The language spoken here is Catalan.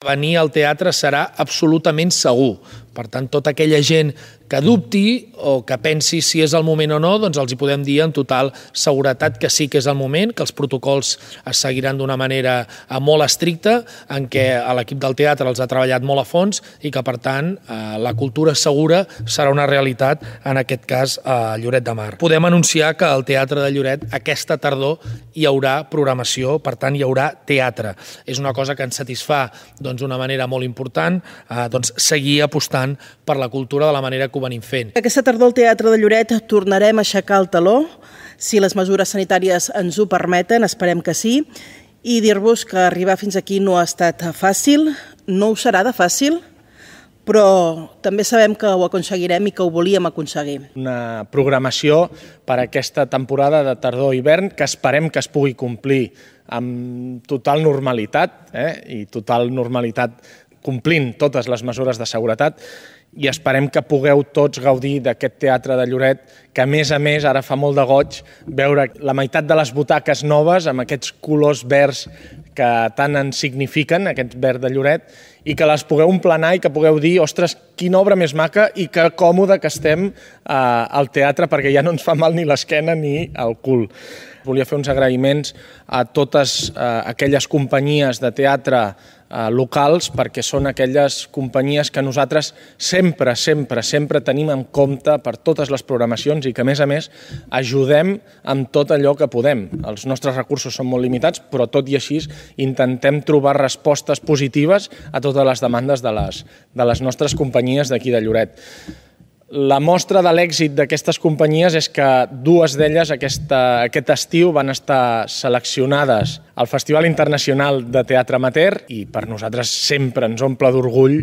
Venir al teatre serà absolutament segur. Per tant, tota aquella gent que dubti o que pensi si és el moment o no, doncs els hi podem dir en total seguretat que sí que és el moment, que els protocols es seguiran d'una manera molt estricta, en què l'equip del teatre els ha treballat molt a fons i que, per tant, la cultura segura serà una realitat, en aquest cas, a Lloret de Mar. Podem anunciar que al Teatre de Lloret aquesta tardor hi haurà programació, per tant, hi haurà teatre. És una cosa que ens satisfà d'una manera molt important, seguir apostant per la cultura de la manera que ho venim fent. Aquesta tardor al Teatre de Lloret tornarem a aixecar el teló, si les mesures sanitàries ens ho permeten, esperem que sí, i dir-vos que arribar fins aquí no ha estat fàcil, no ho serà de fàcil, però també sabem que ho aconseguirem i que ho volíem aconseguir. Una programació per a aquesta temporada de tardor-hivern que esperem que es pugui complir amb total normalitat, i total normalitat complint totes les mesures de seguretat, i esperem que pugueu tots gaudir d'aquest Teatre de Lloret, que a més, ara fa molt de goig veure la meitat de les butaques noves amb aquests colors verds que tant ens signifiquen, aquest verd de Lloret, i que les pugueu emplenar i que pugueu dir, ostres, quina obra més maca i que còmode que estem al teatre, perquè ja no ens fa mal ni l'esquena ni el cul. Volia fer uns agraïments a totes aquelles companyies de teatre locals, perquè són aquelles companyies que nosaltres sempre tenim en compte per totes les programacions i que, a més, ajudem amb tot allò que podem. Els nostres recursos són molt limitats, però tot i així intentem trobar respostes positives a totes les demandes de les nostres companyies d'aquí de Lloret. La mostra de l'èxit d'aquestes companyies és que dues d'elles aquest estiu van estar seleccionades al Festival Internacional de Teatre Amateur i per nosaltres sempre ens omple d'orgull